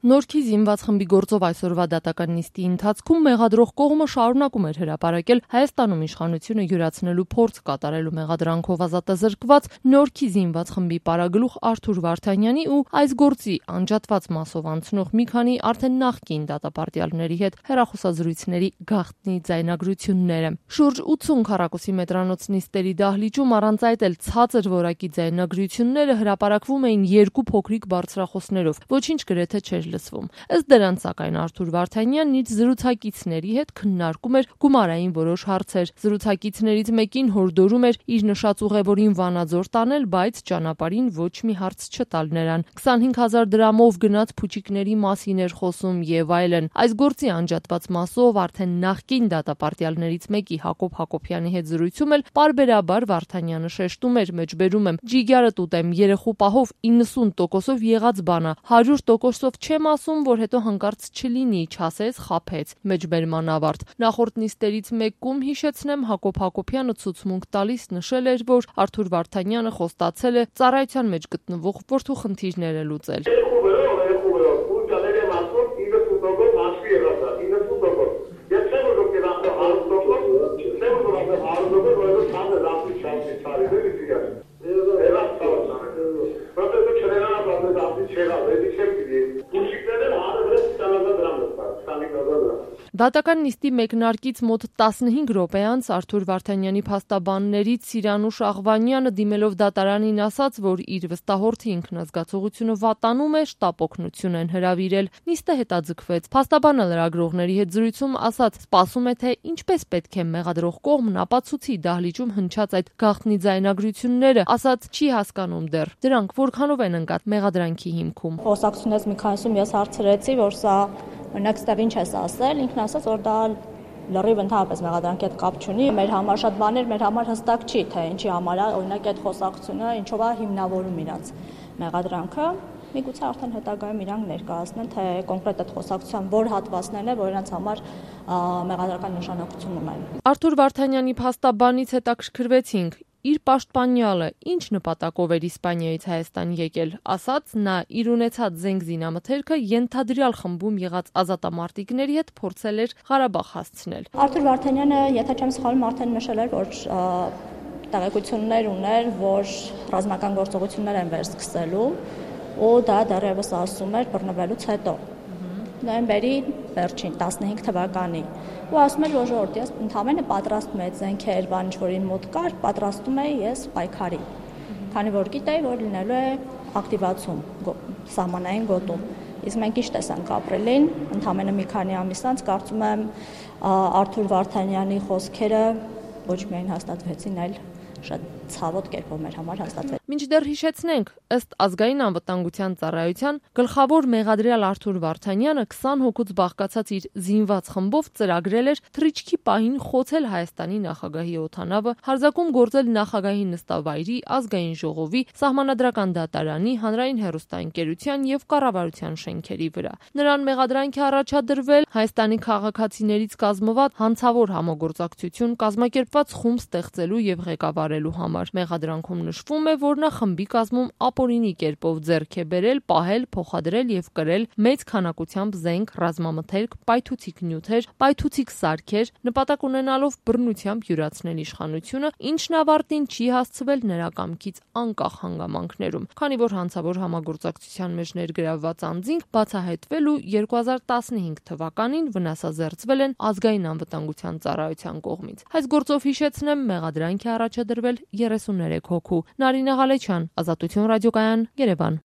Նորքի զինված խմբի գործով այսօրվա դատական նիստի ընթացքում մեղադրող կողմը շարունակում էր հրապարակել Հայաստանում իշխանությունը յուրացնելու փորձ կատարելու մեղադրանքով ազատազրկված Նորքի զինված խմբի պարագլուխ Արթուր Վարդանյանի ու այս գործի անջատված մասով անցնող մի քանի արդեն նախկին դատապարտյալների հետ հեռախոսազրույցների գաղտնի ձայնագրությունները։ Շուրջ 80 քառակուսի մետրանոց նիստերի դահլիճում առանց այդ էլ ցածր որակի ձայնագրությունները հրապարակվում էին երկու փոքրիկ բարձրախոսներով, ոչինչ գրեթե չէր լսվում։ Ըստ դրանց, սակայն Արթուր Վարդանյանն իր զրուցակիցների հետ քննարկում էր գումարային որոշ հարցեր։ Զրուցակիցներից մեկին հորդորում էր իր նշած ուղևորին Վանաձոր տանել, բայց ճանապարհին ոչ մի հարց չտալ նրան։ 25,000 դրամով գնաց փուչիկների մասին էր խոսում եւ այլն։ Այս գործի անջատված մասով արդեն նախկին դատապարտյալներից մեկի Հակոբ Հակոբյանի հետ զրույցում էլ պարբերաբար Վարդանյանը շեշտում էր, մեջբերում եմ, ջիգարը տուտեմ, երեխու պահով 90%-ով եղած բանա, 100%-ով չեմ ասում, որ հետո հանկարծ չլինի, չասես, խափեց։ Մեջբերման ավարտ։ Նախորդ նիստերից մեկում հիշեցնեմ, Հակոբ Հակոբյանը ցուցմունք տալիս նշել էր, որ Արթուր Վարդանյանը խոստացել է ծառայության մեջ գտնվող որդու խնդիրները լուծել։ Դատական նիստի մեկնարկից մոտ 15 րոպե անց Արթուր Վարդանյանի փաստաբաններից Սիրանուշ Աղվանյանը դիմելով դատարանին ասաց, որ իր վստահորդի ինքնազգացողությունը վատանում է, շտապ օգնություն են հրավիրել։ Նիստը հետաձգվեց։ Փաստաբանը լրագրողների հետ զրույցում ասաց, սպասում է, թե ինչպես պետք է մեղադրող կողմն ապացուցի դահլիճում հնչած այդ գաղտնի ձայնագրությունները, ասաց չի հասկանում դեռ։ Դրանք որքանով են ընկած մեղադրանքի հիմքում։ Խոսակցությունից մի քանիսում ես հարցրեցի, որ սա օրինակ ստեղ ինչ ես ասել, ինքն ասաց, որ դա լրիվ ընդհանրապես մեղադրանքի հետ կապ չունի, մեր համար շատ բաներ, մեր համար հստակ չի, թե ինչի համար է, օրինակ այդ խոսակցությունը ինչով է հիմնավորում իրաց մեղադրանքը, միգուցե արդեն հետագայում իրանք ներկայացնեն, թե կոնկրետ այդ խոսակցության որ հատվածներն է, որ իրենց համար մեղադրական նշանակություն ունեն։ Արթուր Վարդանյանի փաստաբանից հետաքրքրվեցինք, իր պաշտպանյալը ինչ նպատակով էր Իսպանիայից Հայաստան եկել, ասաց նա իր ունեցած զենք զինամթերքը ենթադրյալ խմբում եղած ազատամարտիկների հետ փորձել էր Ղարաբաղ հասցնել։ Արթուր Վարդանյանը, եթե չեմ սխալվում, արդեն նշել էր, որ տեղեկություններ ուներ, որ ռազմական գործողություններ են վերսկսելու, ու դա դեռևս ասում էր բռնվելուց հետո։ Նոյեմբերի վերջին 15 թվականի ու ասում էր, որ ժողովուրդ, ես ընդհանրապես պատրաստում եմ զենքեր, բան ինչ որ իմ մոտ կար, պատրաստում եմ ես պայքարի։ Քանի որ գիտեի, որ լինելու է ակտիվացում սահմանային գոտում։ Իսկ մենք ինչ տեսանք ապրիլին, ընդհանրապես մի քանի ամիս անց կարծում եմ Արթուր Վարդանյանի խոսքերը ոչ միայն հաստատվեցին, այլ շատ ցավոտ կերպով մեր համար հաստատվեց։ Մինչդեռ հիշեցնենք, ըստ ազգային անվտանգության ծառայության գլխավոր մեղադրյալ Արթուր Վարդանյանը 20 հոգուց բաղկացած իր զինված խմբով ծրագրել էր թռիչքի պահին խոցել Հայաստանի նախագահի օդանավը, հարձակում գործել նախագահի նստավայրի, ազգային ժողովի, սահմանադրական դատարանի, հանրային հեռուստաընկերության եւ կառավարության շենքերի վրա։ Նրան մեղադրանք է առաջադրվել Հայաստանի քաղաքացիներից կազմված հանցավոր համագործակցություն կազմակերպված խումբ ստեղծելու եւ ղեկավարելու համար։ Մեղադրանքում նշվում է, որ նա խմբի կազմում ապօրինի կերպով ձեռք է բերել, պահել, փոխադրել եւ կրել մեծ քանակությամբ զենք, ռազմամթերք, պայթուցիկ նյութեր, պայթուցիկ սարքեր, նպատակ ունենալով բռնությամբ յուրացնել իշխանությունը, ինչն ավարտին չի հասցվել նրա կամքից անկախ հանգամանքներում, քանի որ հանցավոր համագործակցության մեջ ներգրավված անձինք բացահայտվել ու 2015 թվականին վնասազերծվել են ազգային անվտանգության ծառայության կողմից։ Այս գործով հիշեցնեմ, մեղադրանք է առաջադրվել 33 հոգու։ Նարինե Ղալեչյան, Ազատություն ռադիոկայան, Երևան։